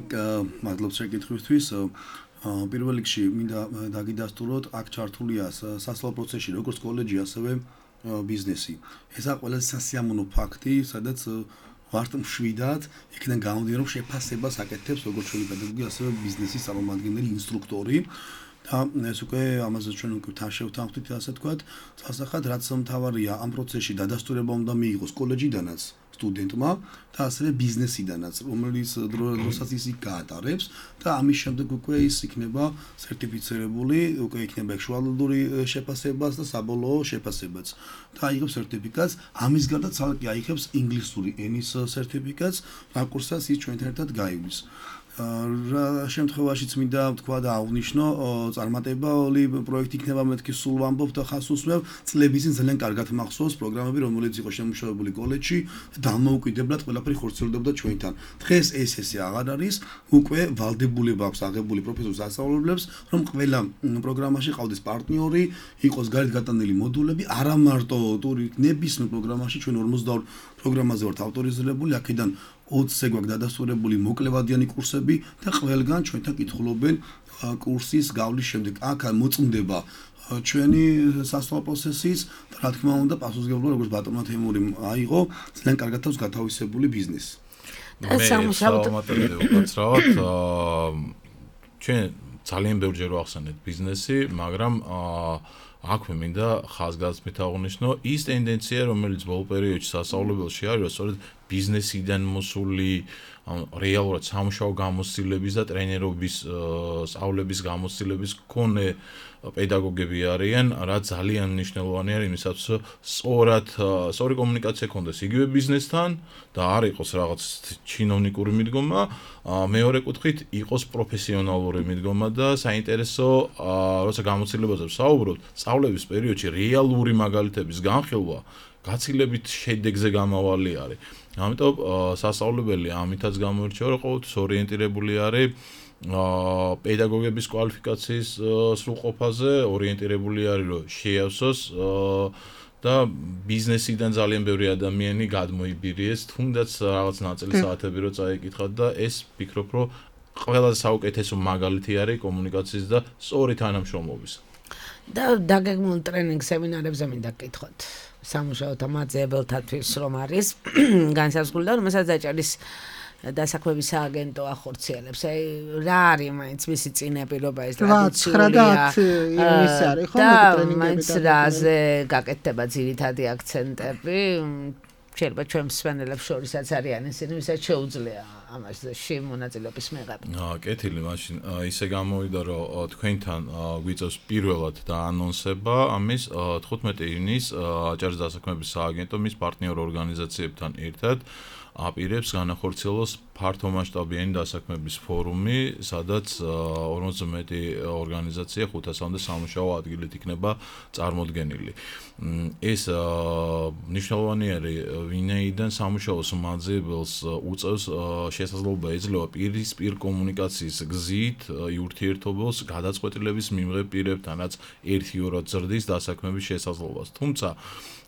მადლობთ შეკითხვისთვის. პირველ რიგში მინდა დაგიდასტუროთ, აქ ჩართულია სასწავლო პროცესში როგორც კოლეჯი, ასევე ბიზნესი. ესა ყველაზე სასიამოვნო ფაქტი, სადაც ვართ მშვიდად, იქიდან გამომდინარე, რომ შეფასებას აკეთებს როგორც ჩვენი პედაგოგი, ასევე ბიზნესის წარმომადგენელი, ინსტრუქტორი. და ეს უკვე ამაზე ჩვენ უკვე თან შევთანხმდით, ასე ვთქვათ, სასახად რაც მთავარია ამ პროცესში დადასტურება უნდა მიიღოს კოლეჯიდანაც სტუდენტმა და ასევე ბიზნესიდანაც, რომელიც დროსაც ის გაატარებს და ამის შემდეგ უკვე ის იქნება სერტიფიცირებული, უკვე იქნება ექსუალური შეფასებაც და საბოლოო შეფასებაც. და აიღებს სერტიფიკატს, ამის გარდა ცალკე აიღებს ინგლისური ენის სერტიფიკატს, რაკურსაც ის ჩვენთან ერთად გაივლის. რა შემთხვევაშიც მინდა თქვა და აღვნიშნო, წარმატებული პროექტი იქნება, მეთქი სულ ვამბობ და ხას უსმევ, წლების წინ ძალიან კარგად მახსოვს პროგრამები, რომელიც იყო შემუშავებული კოლეჯში, დამოუკიდებლად ყველაფერი ხორციელდებოდა ჩვენთან. დღეს ეს ესე აღარ არის, უკვე ვალდებულება აქვს აღებული პროფესორ სასწავლებლებს, რომ ყველა პროგრამაში ყავდეს პარტნიორი, იყოს გარეთ გატანილი მოდულები, არა მარტო ტური ნებისმიერ პროგრამაში, ჩვენ ორმოცდაორ პროგრამაზე ვართ ავტორიზირებული, აქედან ოცზე გვაქვს დადასტურებული მოკლევადიანი კურსები და ყველგან ჩვენთან კითხულობენ კურსის გავლის შემდეგ. აქ მოწმდება ჩვენი სასწავლო პროცესიც და რა თქმა უნდა პასუხისმგებლობა როგორც ბატონმა თემურიმ აიღო, ძალიან კარგად აქვს გათავისებული ბიზნესი. და სამუშაოდ უკაცრავად ჩვენ ძალიან ბევრჯერ ვახსენეთ ბიზნესი, მაგრამ აქვე მინდა ხაზგასმით აღვნიშნო ის ტენდენცია, რომელიც ბოლო პერიოდში სასწავლებელში არის, რომ სწორედ ბიზნესიდან მოსული რეალურად სამუშაო გამოცდილების და ტრენერობის სწავლების გამოცდილების მქონე პედაგოგები არიან, რაც ძალიან მნიშვნელოვანი არის იმისათვის, რომ სწორად სწორი კომუნიკაცია ქონდეს იგივე ბიზნესთან და არ იყოს რაღაც ჩინოვნიკური მიდგომა, მეორე კუთხით იყოს პროფესიონალური მიდგომა და საინტერესო, როცა გამოცდილებაზე ვსაუბრობთ, სწავლების პერიოდში რეალური მაგალითების განხილვა გაცილებით შედეგზე გამავალი არის. ამიტომ სასწავლებელი ამითაც გამოირჩევა, რომ ყოველთვის ორიენტირებული არის პედაგოგების კვალიფიკაციის სრულყოფაზე, ორიენტირებული არის, რომ შეავსოს და ბიზნესიდან ძალიან ბევრი ადამიანი გადმოიბირიეს, თუნდაც რაღაც ნაწილი საათები რო წაიკითხათ და ეს ვფიქრობ, რომ ყველაზე საუკეთესო მაგალითი არის კომუნიკაციის და სწორი თანამშრომლობის. და დაგეგმულ ტრენინგ სემინარებზე მინდა გკითხოთ. სამუშაოთა მაძიებელთათვის რომ არის განსაზღვრული და რომელსაც დაჭერის დასაქმების სააგენტო ახორციელებს. აი რა არის მაინც მისი წინაპირობა ეს ტრადიციულია. ის არის ხო ტრენინგები და მაინც რაზე გაკეთდება ძირითადი აქცენტები. შეიძლება ჩვენ მსმენელებს შორისაც არიან ისინი, ვისაც შეუძლია ამაში მონაწილეობის მიღება. აა, კეთილი, მაშინ ისე გამოვიდა, რომ თქვენთან გვიწევს პირველად დაანონსება ამის თხუთმეტი ივნის აჭარის დასაქმების სააგენტო მის პარტნიორ ორგანიზაციებთან ერთად აპირებს განახორციელოს ფართომასშტაბიანი დასაქმების ფორუმი, სადაც ორმოცზე მეტი ორგანიზაცია ხუთასამდე სამუშაო ადგილით იქნება წარმოდგენილი. ეს მნიშვნელოვანია, ვინაიდან სამუშაოს მაძიებელს უწევს შესაძლებლობა ეძლევა პირისპირ კომუნიკაციის გზით ურთიერთობებს გადაწყვეტილების მიმღებ პირებთან, რაც ერთი-ორად ზრდის დასაქმების შესაძლებლობას. თუმცა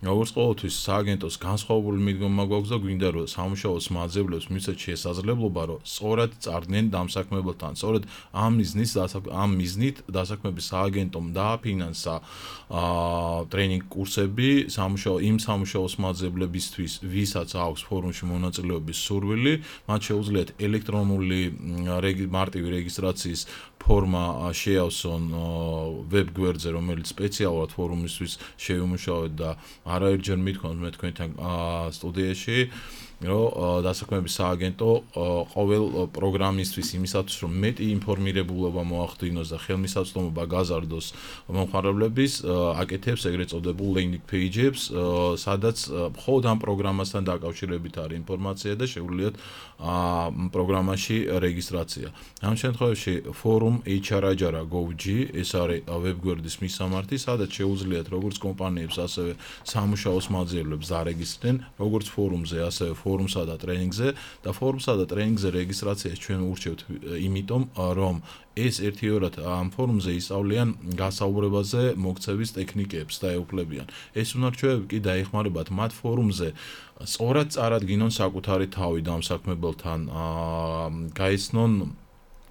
როგორც ყოველთვის სააგენტოს განსხვავებული მიდგომა გვაქვს და გვინდა რომ სამუშაოს მაძიებლებს მისცეთ შესაძლებლობა რომ სწორად წარდგნენ დამსაქმებელთან. სწორედ ამ მიზნის ამ მიზნით დასაქმების სააგენტომ დააფინანსა ტრენინგ კურსები სამუშაო იმ სამუშაოს მაძიებლებისთვის, ვისაც აქვს ფორუმში მონაწილეობის სურვილი, მათ შეუძლიათ ელექტრონული მარტივი რეგისტრაციის ფორმა შეავსონ ვებ გვერდზე, რომელიც სპეციალურად ფორუმისთვის შეიმუშავეთ და არაერთჯერ მithქვამთ მე თქვენთან სტუდიაში, რომ დასაქმების სააგენტო ყოველ პროგრამისტვის იმისათვის, რომ მეტი ინფორმირებულობა მოახდინოს და ხელმისაწვდომობა გაზარდოს მომხმარებლების, აკეთებს ეგრეთ წოდებულ landing page-ებს, სადაც მხოლოდ ამ პროგრამასთან დაკავშირებით არის ინფორმაცია და შეუძლიათ პროგრამაში რეგისტრაცია. ამ შემთხვევაში forum h r ajara dot gov dot g ეს არის ვებგვერდის მისამართი, სადაც შეუძლიათ როგორც კომპანიებს, ასევე სამუშაოს მაძიებლებს დარეგისტრირდნენ, როგორც ფორუმზე, ასევე ფორუმსა და ტრენინგზე და ფორუმსა და ტრენინგზე რეგისტრაციას ჩვენ ურჩევთ იმიტომ, რომ ეს ერთიორად ამ ფორუმზე ისწავლიან გასაუბრებაზე მოქცევის ტექნიკებს და ეუფლებიან. ეს უნარჩვევები კი დაეხმარებათ მათ ფორუმზე სწორად წარადგინონ საკუთარი თავი დამსაქმებელთან, გაიცნონ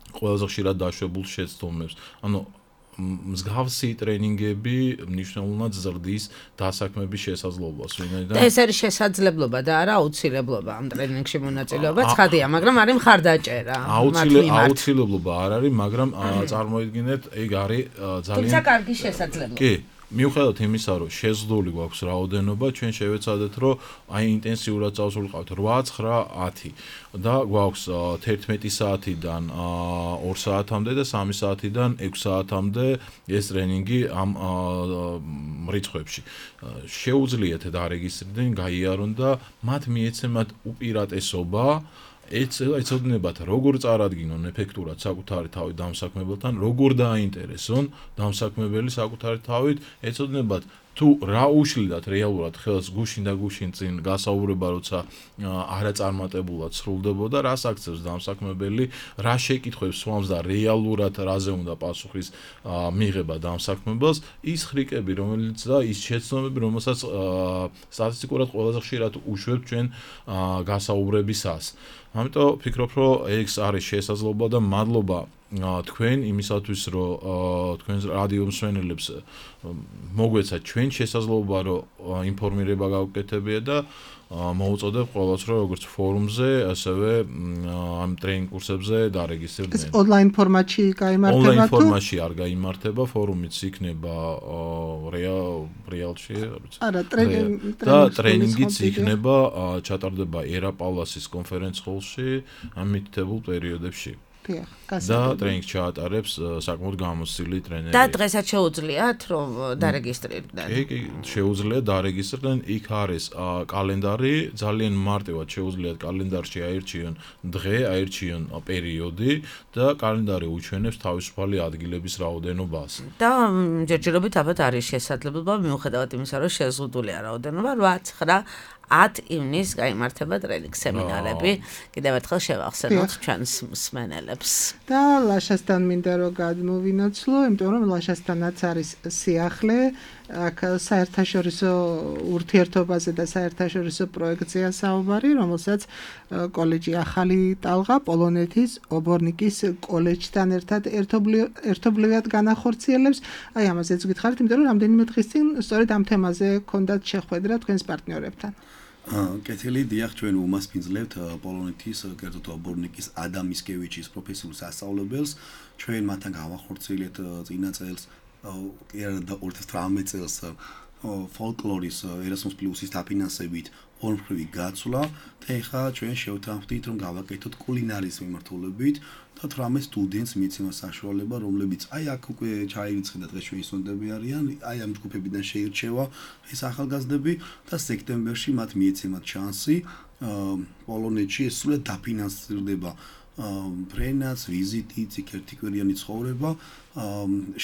ყველაზე ხშირად დაშვებულ შეცდომებს. ანუ მსგავსი ტრენინგები მნიშვნელოვნად ზრდის დასაქმების შესაძლებლობას, ვინაიდან ეს არის შესაძლებლობა და არა აუცილებლობა ამ ტრენინგში მონაწილეობა, ცხადია, მაგრამ არის მხარდაჭერა. აუცილებლობა არ არის, მაგრამ წარმოიდგინეთ, ეგ არის ძალიან თუმცა კარგი შესაძლებლობა. კი, მიუხედავად იმისა, რომ შეზღუდული გვაქვს რაოდენობა, ჩვენ შევეცადეთ, რომ აი ინტენსიურად წავსულიყავთ ორი, ცხრა, ათი და გვაქვს თერთმეტი საათიდან ორ საათამდე და სამი საათიდან ექვსი საათამდე ეს ტრენინგი ამ რიცხვებში. შეუძლიათ დარეგისტრირდნენ, გაიარონ და მათ მიეცემათ უპირატესობა ეცოდინებათ როგორ წარადგინონ ეფექტურად საკუთარი თავი დამსაქმებელთან, როგორ დააინტერესონ დამსაქმებელი საკუთარი თავით, ეცოდინებათ თუ რა უშლიდათ რეალურად ხელს გუშინ და გუშინ წინ გასაუბრება, როცა არაწარმატებულად სრულდებოდა, რას აქცევს დამსაქმებელი, რა შეკითხვებს სვამს და რეალურად რაზე უნდა პასუხის მიღება დამსაქმებელს, ის ხრიკები, რომელიც და ის შეცდომები, რომელსაც სტატისტიკურად ყველაზე ხშირად უშვებთ ჩვენ გასაუბრებისას. ამიტომ ვფიქრობ, რომ ეს არის შესაძლებლობა და მადლობა თქვენ იმისათვის, რომ თქვენ რადიო მსმენელებს მოგვეცათ ჩვენ შესაძლებლობა, რომ ინფორმირება გავუკეთებია და მოუწოდებ ყველას, რომ როგორც ფორუმზე, ასევე ამ ტრენინგ კურსებზე დარეგისტრირდნენ. ეს ონლაინ ფორმატში გაიმართება თუ? ონლაინ ფორმატში არ გაიმართება, ფორუმიც იქნება რეალში, არა, ტრენინგი და ტრენინგიც იქნება ჩატარდება ერა პალასის კონფერენც ჰოლში ამ მითითებულ პერიოდებში. და ტრენინგს ჩაატარებს საკმაოდ გამოცდილი ტრენერი. და დღესაც შეუძლიათ რომ დარეგისტრირდნენ. კი, კი, შეუძლიათ დარეგისტრირდნენ. იქ არის კალენდარი, ძალიან მარტივად შეუძლიათ კალენდარში აირჩიონ დღე, აირჩიონ პერიოდი და კალენდარი უჩვენებს თავისუფალი ადგილების რაოდენობას. და ჯერჯერობით ალბათ არის შესაძლებლობა მიუხედავად იმისა, რომ შეზღუდულია რაოდენობა ორი, ცხრა, ათი ივნის გაიმართება ტრენინგ სემინარები. კიდევ ერთხელ შევახსენოთ ჩვენს მსმენელებს. და ლაშასთან მინდა რომ გადმოვინაცვლო, იმიტომ რომ ლაშასთანაც არის სიახლე, აქ საერთაშორისო ურთიერთობაზე და საერთაშორისო პროექტზეა საუბარი, რომელსაც კოლეჯი ახალი ტალღა პოლონეთის ობორნიკის კოლეჯთან ერთად ერთობლივად განახორციელებს. აი ამაზეც გითხარით, იმიტომ რომ რამდენიმე დღის წინ სწორედ ამ თემაზე ჰქონდათ შეხვედრა თქვენს პარტნიორებთან. კეთილი, დიახ, ჩვენ უმასპინძლებთ პოლონეთის კერძოდ ობორნიკის ადამ მისკევიჩის პროფესიულ სასწავლებელს. ჩვენ მათთან გავახორციელეთ წინა წელს, ორი ათას თვრამეტ წელს ფოლკლორის Erasmus Plus-ის დაფინანსებით ორმხრივი გაცვლა და ეხლა ჩვენ შევთანხმდით რომ გავაკეთოთ კულინარის მიმართულებით და თვრამეტ სტუდენტს მიცემა საშუალება რომლებიც აი აქ უკვე ჩაირიცხა და დღეს ჩვენი სტუდენტები არიან აი ამ ჯგუფებიდან შეირჩევა ეს ახალგაზრდები და სექტემბერში მათ მიეცემათ შანსი პოლონეთში ეს სულ დაფინანსირდება ბრენაც ვიზიტი ციკერთიკვირიანი ცხოვრება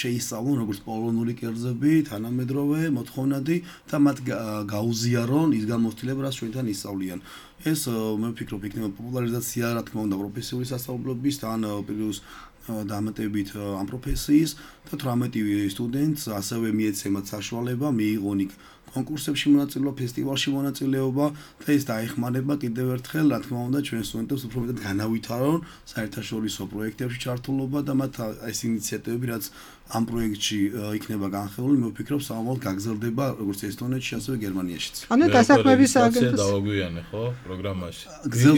შეისწავლონ როგორც პოლონური კერძები თანამედროვე მოთხოვნადი და მათ გაუზიარონ ის გამოცდილება რაც ჩვენთან ისწავლიან ეს მე ვფიქრობ იქნება პოპულარიზაცია რა თქმა უნდა პროფესიული სასწავლებლობის თან პლუს დამატებით ამ პროფესიის და თვრამეტი სტუდენტს ასევე მიეცემათ საშუალება მიიღონ იქ კონკურსებში მონაწილეობა, ფესტივალში მონაწილეობა და ეს დაეხმარება კიდევ ერთხელ, რა თქმა უნდა, ჩვენ სტუდენტებს უფრო მეტად განავითარონ საერთაშორისო პროექტებში ჩართულობა და მათ ეს ინიციატივები, რაც ამ პროექტში იქნება განხილული, მე ვფიქრობ, სამომავლოდ გაგრძელდება როგორც ესტონეთში, ასევე გერმანიაშიც. ანუ დასაქმების აგენტოს დავაგვიანე, ხო, პროგრამაში.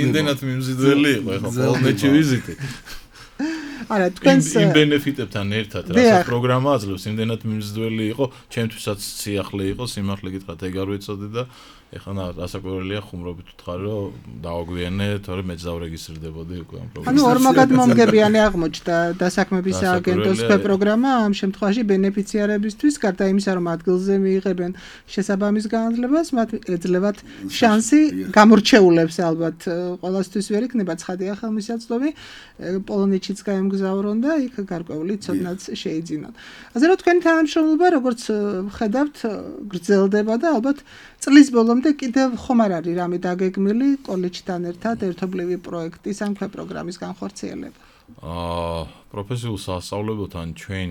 იმდენად მიმზიდველი იყო, ხო, პოლონეთში ვიზიტი. არა, თქვენს იმ ბენეფიტებთან ერთად, რასაც პროგრამა აძლევს, იმდენად მიმზიდველი იყო, ჩემთვისაც სიახლე იყო, სიმართლე გითხრათ, ეგ არ ვიცოდი და ეხლა რასაკვირველია ხუმრობით ვთქარ, რომ დავაგვიანე, თორე მეც დავრეგისტრდებოდი უკვე ამ პროგრამაში. ანუ ორმაგად მომგებიანი აღმოჩნდა დასაქმების აგენტოს პროგრამა ამ შემთხვევაში ბენეფიციარებისთვის, გარდა იმისა, რომ ადგილზე მიიღებენ შესაბამის განათლებას, მათ ეძლევათ შანსი გამორჩეულებს ალბათ ყოველთვის ვერ იქნება ცხადია ხელმისაწვდომი, პოლონეთშიც გაემგზავრონ და იქ გარკვეული ცოდნაც შეიძინონ. ასე რომ თქვენი თანამშრომლობა როგორც ხედავთ გრძელდება და ალბათ წლის ბოლომდე კიდევ ხომ არ არის რამე დაგეგმილი კოლეჯთან ერთად ერთობლივი პროექტის ან ქვეპროგრამის განხორციელება? აა პროფესიულ სასწავლებელთან ჩვენ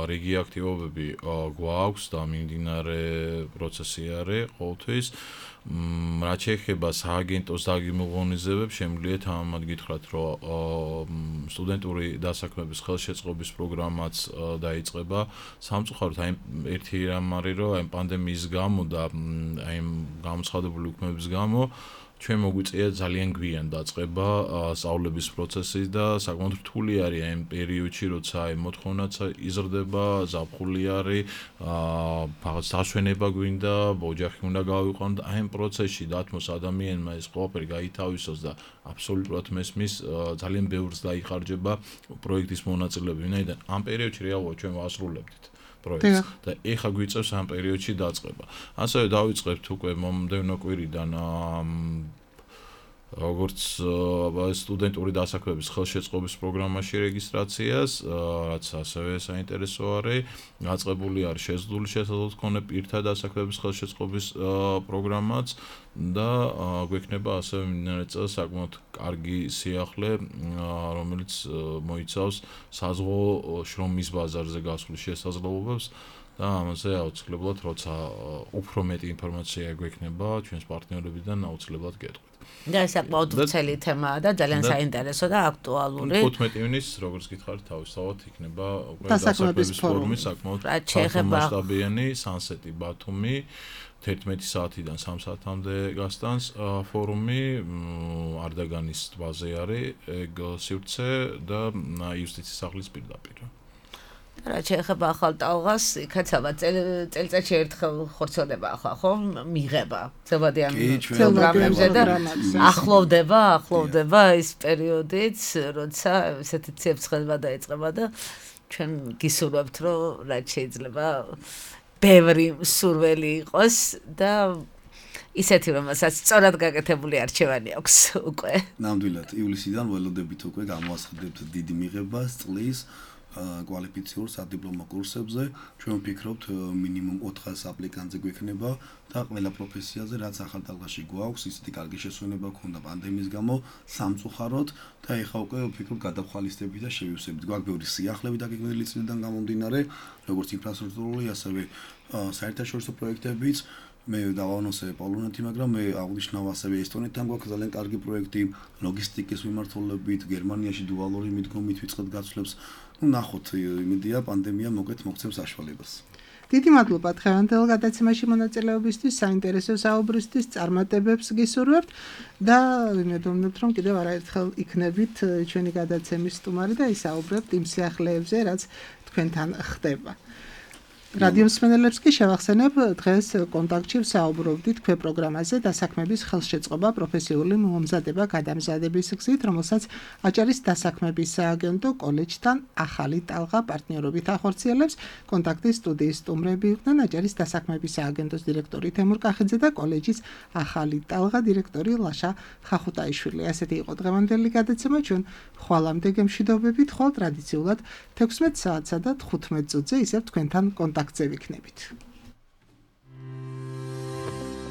რიგი აქტივობები გვაქვს და მიმდინარე პროცესი არის ყოველთვის. რაც შეეხება სააგენტოს დაგემოვნებებს, შემიძლია თამამად გითხრათ, რომ სტუდენტური დასაქმების ხელშეწყობის პროგრამაც დაიწყება. სამწუხაროდ აი ერთი რამ არის, რომ აი პანდემიის გამო და აი გამოცხადებული უქმების გამო ჩვენ მოგვიწია ძალიან გვიან დაწყება სწავლების პროცესი და საკმაოდ რთული არის აი ამ პერიოდში, როცა აი მოთხოვნაც იზრდება, ზაფხული არის, რაღაც დასვენება გვინდა, ოჯახი უნდა გავიყვანო და აი ამ პროცესში დათმოს ადამიანმა ეს ყველაფერი გაითავისოს და აბსოლუტურად მესმის ძალიან ბევრს დაიხარჯება პროექტის მონაწილეები, ვინაიდან ამ პერიოდში რეალურად ჩვენ ვასრულებდით პროექტს და ეხა გვიწევს ამ პერიოდში დაწყება. ასევე დავიწყებთ უკვე მომდევნო კვირიდან როგორც სტუდენტური დასაქმების ხელშეწყობის პროგრამაში რეგისტრაციას, რაც ასევე საინტერესო არის, გაწყებული არის შეზღუდული შესაძლებლობით მქონე პირთა დასაქმების ხელშეწყობის პროგრამაც და გვექნება ასევე მიმდინარე წელს საკმაოდ კარგი სიახლე, რომელიც მოიცავს საზღვაო შრომის ბაზარზე გასვლის შესაძლებლობებს და ამაზე აუცილებლად, როცა უფრო მეტი ინფორმაცია გვექნება ჩვენს პარტნიორებიდან, აუცილებლად გეტყვით. და საკმაოდ ვრცელი თემაა და ძალიან საინტერესო და აქტუალური. ხუთმეტი ივნის, როგორც გითხარით, თავისთავად იქნება უკვე დასაქმების ფორუმი, საკმაოდ მასშტაბიანი სანსეტი ბათუმი, თერთმეტი საათიდან სამ საათამდე გასტანს ფორუმი, არდაგანის ტბაზე არის, ეგ სივრცე და იუსტიციის სახლის პირდაპირ. რაც შეეხება ახალ ტალღას, იქაც ალბათ წელიწადში ერთხელ ხორცელდება ახლა, ხო? მიღება. ზოგადიან პროგრამებზე და ახლოვდება, ახლოვდება ის პერიოდიც, როცა ესეთი ციებ-ცხელება დაიწყება და ჩვენ გისურვებთ, რომ რაც შეიძლება ბევრი სურველი იყოს და ისეთი რომელსაც სწორად გაკეთებული არჩევანი აქვს უკვე. ნამდვილად, ივლისიდან ველოდებით უკვე გამოვასწრებთ დიდი მიღებას წლის კვალიფიციურ სადიპლომო კურსებზე. ჩვენ ვფიქრობთ მინიმუმ ოთხას აპლიკანტზე გვექნება და ყველა პროფესიაზე რაც ახალ ტალღაში გვაქვს, ისეთი კარგი შესვენება ქონდა პანდემიის გამო სამწუხაროდ და ეხა უკვე ვფიქრობ გადახვალისდებით და შევივსებით. გვაქვს ბევრი სიახლეები დაგეგმილი წლიდან გამომდინარე, როგორც ინფრასტრუქტურული, ასევე საერთაშორისო პროექტებიც. მე დავანონსე პოლონეთი, მაგრამ მე აღნიშნავ ასევე ესტონეთთან გვაქვს ძალიან კარგი პროექტი ლოგისტიკის მიმართულებით, გერმანიაში დუალური მიდგომით ვიწყებთ გაცვლებს. ნუ ნახოთ, იმედია პანდემია მოგეთ მოგცემს საშუალებას. დიდი მადლობა დღევანდელ გადაცემაში მონაწილეობისთვის, საინტერესო საუბრისთვის, წარმატებებს გისურვებთ და ვიმედოვნებთ, რომ კიდევ არაერთხელ იქნებით ჩვენი გადაცემის სტუმარი და ისაუბრებთ იმ სიახლეებზე, რაც თქვენთან ხდება. რადიო მსმენელებს კი შევახსენებ, დღეს კონტაქტში ვსაუბრობდით ქვე პროგრამაზე დასაქმების ხელშეწყობა პროფესიული მომზადება გადამზადების გზით, რომელსაც აჭარის დასაქმების სააგენტო კოლეჯთან ახალი ტალღა პარტნიორობით ახორციელებს. კონტაქტის სტუდიის სტუმრები იყვნენ აჭარის დასაქმების სააგენტოს დირექტორი თემურ კახიძე და კოლეჯის ახალი ტალღა დირექტორი ლაშა ხახუტაიშვილი. ასეთი იყო დღევანდელი გადაცემა. ჩვენ ხვალამდე გემშვიდობებით, ხვალ ტრადიციულად თექვსმეტ საათსა და თხუთმეტ წუთზე ისევ თქვენთან კონტაქტზე ვიქნებით.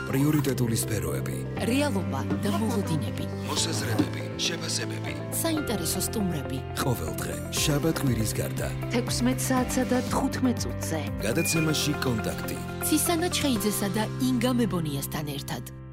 პრიორიტეტული სფეროები, რეალობა და მოლოდინები, მოსაზრებები, შეფასებები. საინტერესო სტუმრები. ყოველდღე, შაბათ-კვირის გარდა. თექვსმეტ საათსა და თხუთმეტ წუთზე. გადაცემაში კონტაქტი. ცისანა ჩხეიძესა და ინგა მებონიასთან ერთად.